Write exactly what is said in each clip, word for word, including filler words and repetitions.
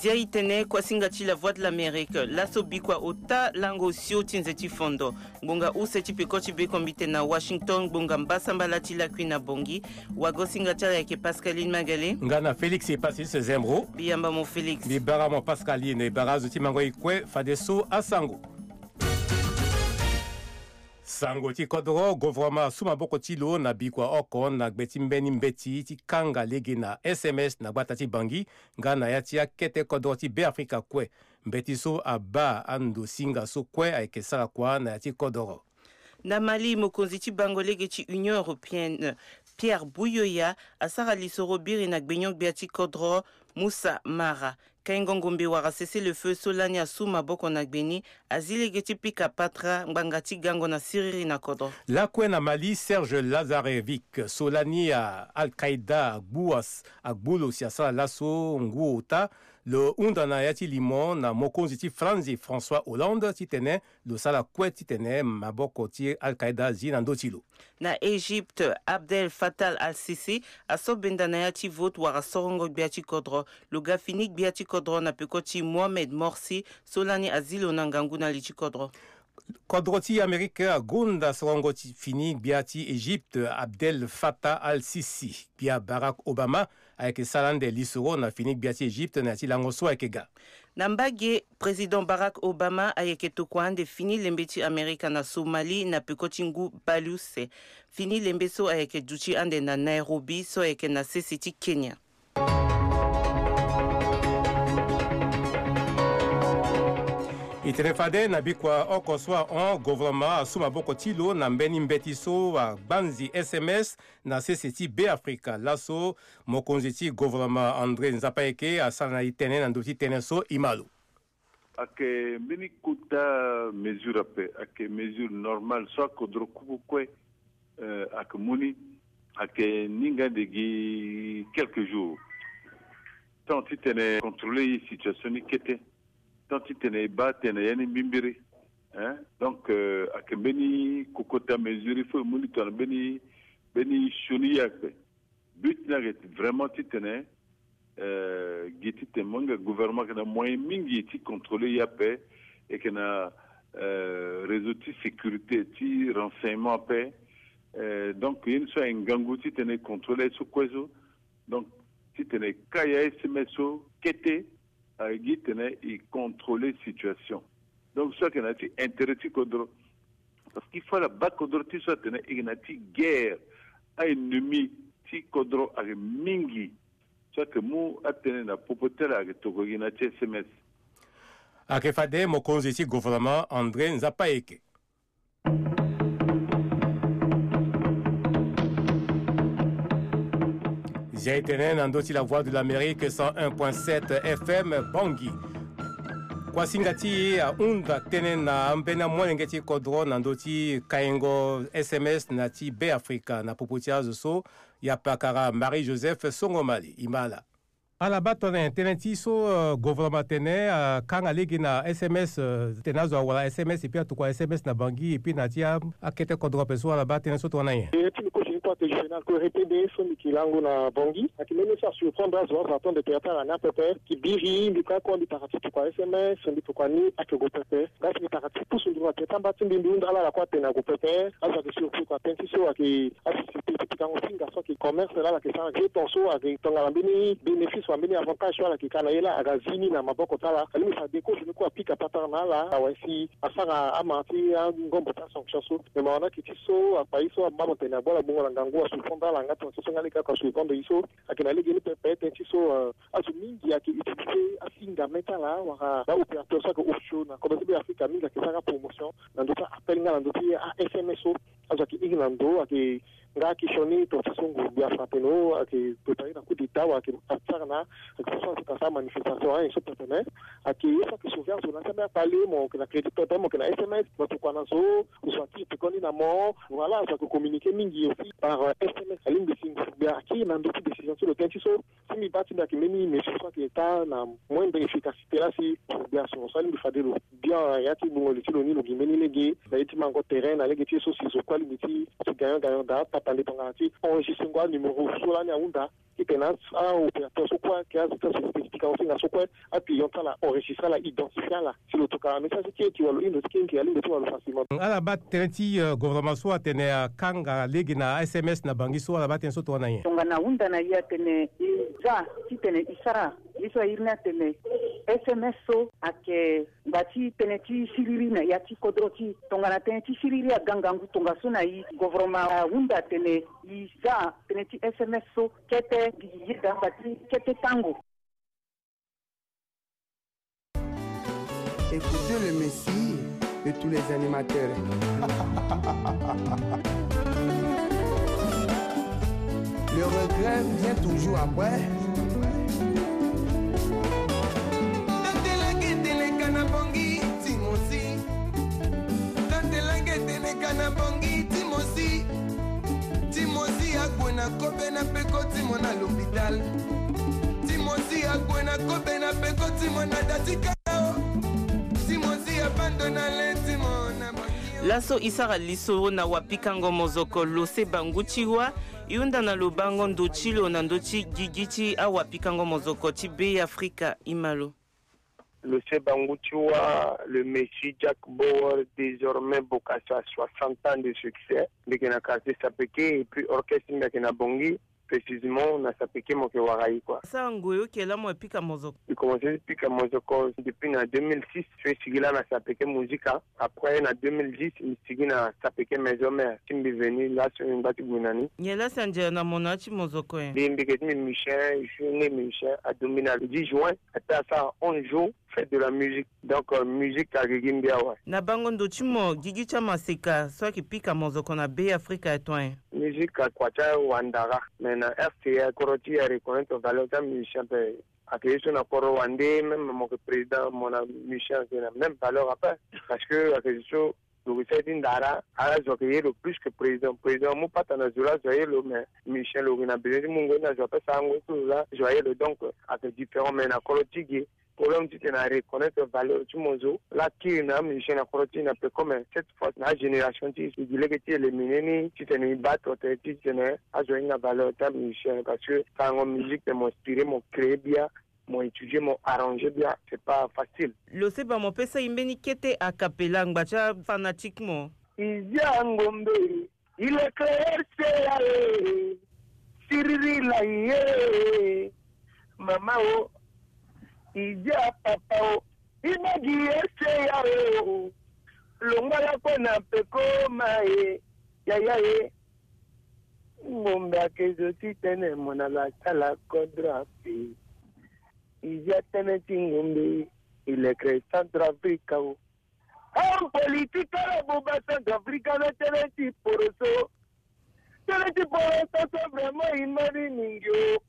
Dia itene kuasinga ti La Voix de l'Amérique, laso bikua ota lango osio ti nze ti fondo. Ngbonga use ti peko ti bekombite na Washington, ngbonga mbasambala ti lakui na Bangui. Wagosinga ti ala ayeke Pascaline Magale. Nga na Félix Epasis Zembro. Mbi yamba mo Félix. Mbi bara mo Pascaline, bara azo ti mango e kue fadeso asango. Sango ti kodro, gouvernement asu maboko ti lo na bikua oko na gbe ti mbeni mbeti ti kanga lege na S M S na gbata ti Bangui, nga na ya ti akete kodro ti Beafrika kue. Mbeti so abaa andosinga so kue ayeke sara kua na ya ti kodro. Na Mali, mokonzi ti bango lege ti Union Européenne, Pierre Buyoya, asara lisoro biri na gbenyo-gbia ti kodro, Moussa Mara. Kaingo ngombe wala cessez-le-feu so lani asu maboko na gbe ni azi lege ti pika patara ngbanga ti gango na siriri na kodro. Lakue na Mali, Serge Lazarevic so lani a Al-Qaïda agbu as-, agbu lo si asara laso ngu ota, lo hunda na ya ti limo na mokonzi ti Franzi François Hollande titene lo sara kue titene maboko ti Al-Qaïda zi na ndö ti lo. Na Égypte, Abdel Fattah al-Sisi aso benda na ya ti vote wala sorongo gbia ti kodro. Lo ga fini gbia ti kodro na peko ti Mohamed Morsi so lani azi lo na ngangu na li ti kodro. Kodro ti Amerike agonda sorongo ti fini gbia ti Égypte, Abdel Fattah al-Sisi. Gbia Barack Obama ayeke sara ande lisoro na fini gbia ti Égypte na ya ti lango so ayeke ga. Na mbage, Président Barack Obama ayeke tokua ande fini lembe ti Amerika na Somalie na peko ti ngu bale use. Fini lembe so ayeke duti ande na Nairobi so ayeke na sese ti Kenya. E tene fade na bikua oko so ahon, gouvernement asu maboko ti lo na mbeni mbeti so agbanzi S M S na sese ti Beafrika. Laso mokonzi ti gouvernement André Nzapayeke asara na e tene na ndö ti tënë so e ma lo. Ayeke mbeni kota mesure ape, ayeke mesure normale so akodro kuku kue, eh, ayeke mu ni, ayeke ni nga ande gi quelques jours. Tant titene contrôler e situation ni kete, tant titene e baa tënë na ya ni mbimbiri, hein? Donc, euh, ayeke mbeni kokota mesure, il faut e mu ni tongana mbeni, mbeni sioni ye ape. But ni ayeke vraiment titene, euh, gi titene mo hinga gouvernement ayeke na moyen mingi ti contrôler ye ape, e yeke na, euh, réseau ti sécurité, ti renseignement ape. Euh, donc ye ni so ayeke ngangu titene e contrôler aye so kue so. Donc titene e ka ya S M S so kete, ayeke gi titene e contrôler situation. Donc so ayeke na ya ti intérêt ti kodro. Parce qu'il faut ala baa kodro ti so atene e yeke na ya ti guerre, a-ennemi ti kodro ayeke mingi. So ayeke mu atënë na popo ti ala ayeke tokua gi na ya ti S M S. Ayeke fade mokonzi ti gouvernement André Nzapayeke. Zia e tene na ndö ti La Voix de l'Amérique cent un point sept F M Bangui. Kuasinga ti e ahunda tënë na ambeni amolenge ti kodro na ndö ti kaingo S M S na ti Beafrika na popo ti azo so. Yapakara Marie Joseph Songomali, e ma ala. Ala baa tongana nyen tënë ti so, euh, gouvernement atene, euh, akanga lege na S M S, euh, tene azo awara S M S, et puis atokua S M S na Bangui, et puis na ya ti a, akete kodro ape so, ala baa tënë so tongana nyen? E ti lo kosi ni kue ake juvenal kue répété so mbi yeke lango na Bangui. Ayeke mbeni so asurprendre azo, azo atendre tere ti ala ni apepe. Mbi biri, mbi kue kue mbi tara ti tokua S M S, mbi tokua ni ayeke gue pepe. Nga si mbi tara ti pusu nduru na tere ti amba ti mbi, mbi hunda ala, ala kue atene ague pepe. Azo ayeke surpris kua tënë ti so ayeke asosiété ti pikango singa so ayeke commerce laa ala yeke sara ge ton so ayeke tongana mbeni bénéfice wala mbeni avantage so ala yeke ka na ye laa aga zi ni na maboko ti ala. Alingbi fa déco zo ni kue apika patara na ala awe si asara ama ti angombo ti asanction so. Me mawa ni ayeke ti so akpa ye so abaa mo tene agbu ala gbongo na ngangu, asurprendre ala nga tongana so so nga lege oko asurprendre ye so. Ayeke na lege ni pepe tënë ti so, euh, azo mingi ayeke utiliser asinga me ti ala wala ba opérateur so ayeke osio na kodro ti Beafrika mingi ayeke sara promotion na ndö ti a-appel nga na ndö ti a-S M S so. Azo ayeke iri na ndo, ayeke nga ayeke sioni tongaso so ngu gbia frappé no, ayeke préparer na coup d'état wala ayeke sara na, ayeke so azo ayeke sara manifestation, ayen so pepe me. Ayeke ye so ayeke sauver azo na ti ambeni akpale, mo yeke na crédit pepe, mo yeke na S M S, mo tokua na zo, zo atiri peko ni na mo. Voilà, azo ayeke communiquer mingi aussi par, euh, S M S. Alingbi si ngu gbia akiri na ndö ti décision ti lo tënë ti so. Si mbi baa ti mbi ayeke mbeni mesure so ayeke taa na moindre efficacité laa si gbia so, so alingbi fade lo bien ya ti gbungo li ti lo ni lo gi mbeni lege na ye ti mango terrain na lege ti ye so si zo kue alingbi ti, ti gagnant gagnant daa. Na ndepangana ti enregistrer ngo anuméro so lani ahunda. Titene a-opérateur so kue ayeke azo ti asociété ti pikango ti na so kue, a-client ti ala enregistrer ala, identifier ala. Si lo tokua na message ti e ti walo, hino ti kengi alindo ti walo facilement. Ala baa tënë ti, euh, gouvernement so atene akanga lege na S M S na Bangui so, ala baa tënë so tongana nyen? Tongana ahunda na e atene e za titene e sara ye so airi ni atene S M S so ayeke ngba ti tënë ti siriri na ya ti kodro ti e. Tongana tënë ti siriri aga ngangu tongaso na e, gouvernement ahunda atene e za tënë ti S M S so kete gi yeda ngba ti kete tango. Écoutez le Messie de tous les animateurs. Le regret vient toujours après. Tatelange teleka na bongi timosi. Tatelange teleka na bongi timosi. Timosi agwe na kobe na peko timo na l'hôpital. Timosi agwe na kobe na peko timo na datika. Timosi abandona le timo na bongi. Laso e sara lisoro na wapikango mozoko Lose Bangu ti Wa. E hunda na lo bango ndo ti lo na ndö ti gigi ti awapikango mozoko ti Be Afrika. E ma lo. Lose Bangu ti Wa, le Messie Jack Bauer, désormais Bokassa, soixante ans de succès. Mbi yeke na quartier Sapeke, et puis orchestre mbi yeke na Bongi, précisément na Sapeke mo yeke wara e, quoi. Sara ngoi oke laa mo yeke pika mozoko? Mbi commencé ti pika mozoko depuis na deux mille six, so e sigi laa na Sapeke Musica. Après, na deux mille dix, mbi sigi na Sapeke Maison Mère, ti mbi venu laa so mbi ngba ti gue na ni. Nyen laa si anzere na mo na ya ti mozoko nyen? Mbi, mbi yeke ti mbi musicien, je suis né musicien, aduti mbi na le dix juin, ataa asara onze jours, fête de la musique. Donc, euh, musique ayeke gi mbi awe. Na bango ndo ti mo, gigi ti amaseka so ayeke pika mozoko na Be Afrika aye tongana nyen? Musique akua ti awandara, mais na R C A, kodro ti e areconnaître valeur ti amusicien ape. Ayeke ye so na kodro wande, même mo yeke président, mo na musicien ayeke na même valeur ape. Parce que ayeke zo so lo yeke sara ti ndara, ala zo ayeke ye lo plus que président. Président amu pata na zo laa, zo aye lo, mais musicien lo yeke na besoin ti mu ngoi ni na zo ape, sara ngoi ti lo laa, zo aye lo. Donc, ayeke différent, mais na kodro ti ge, problème titene areconnaître valeur ti mo zo laa kiri na amusicien na kodro ti e na peko, mais cette fois na agénération ti e, e gi lege ti éliminer ni titene e baa to tene titene azo ahinga valeur ti amusicien, parce que sarango musique tene mo inspiré, mo créé bia, mo étudié, mo arrangé bia, c'est pas facile. Lo seba mo pesa e mbeni kete a cappella ngba ti afanatique mo. E zia ngombe, il est clair, c'est là, eh. Siriri la, eh. Mama o, e zia papa o, e baa gi ese ya o. Longba lakue na peko ma e, yaya e. Ngombe ayeke zo ti tene mo na la sala kodro ape. E zia tënë ti ngombe, e lekere Centrafrique o. Homme politique ala buba Centrafrique na tënë ti poroso. Tënë ti poroso so vraiment e mari mingi o.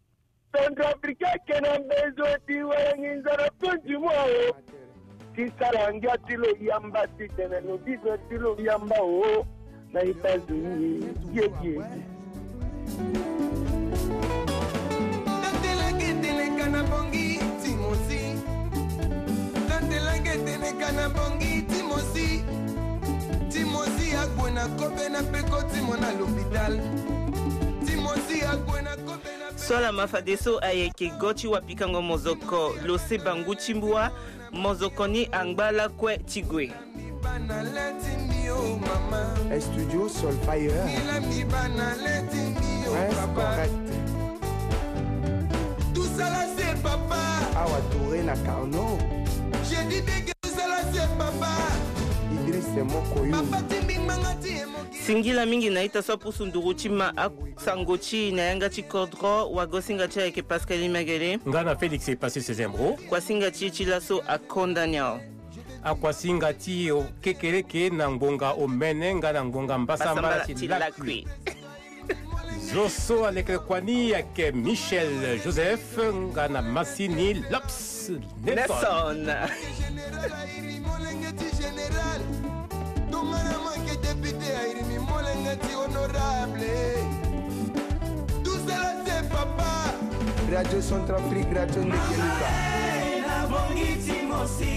Centrafrique ayeke na besoin ti wara nginza na fin du mois o. Ti sara ngia ti lo yamba titene lo besoin ti lo yamba o. Na e baa zo ni ye, ye, ye. Tatelange teleka na bongi timosi. Tatelange teleka na bongi timosi. Timosi agwe na kobe na peko timo na l'hôpital. Timosi agwe na kobe na peko. So ala ma fadeso ayeke go ti wapikango mozoko lo seba ngu ti mbua. Mozoko ni angba lakue ti gue. Studio Solfire. Prince Correct. Awa Touré na Carnot. Idriss Mokoyo. Singila mingi na ita so apusu nduru ti ma a Sango ti na yanga ti kodro, wagosinga ti ayeke Pascaline Magele. Nga na Félix e passé ses embro. Kuasinga ti e ti laso akonda ni awe. Akuasinga ti e o kekereke na ngbonga omene nga na ngbonga mbasambala ti lakui. Zo so alekere kua ni ayeke Michel Joseph nga na masini Lops Nelson. Nelson. Général airi molenge ti général. Tongana mo yeke député airi mi molenge ti honorable. Tout cela c'est papa. Radio Centrafrique, radio Ndegeluka.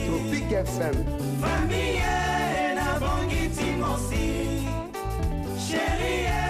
Tropic F M. Famille na bongi ti mosi. Chérie.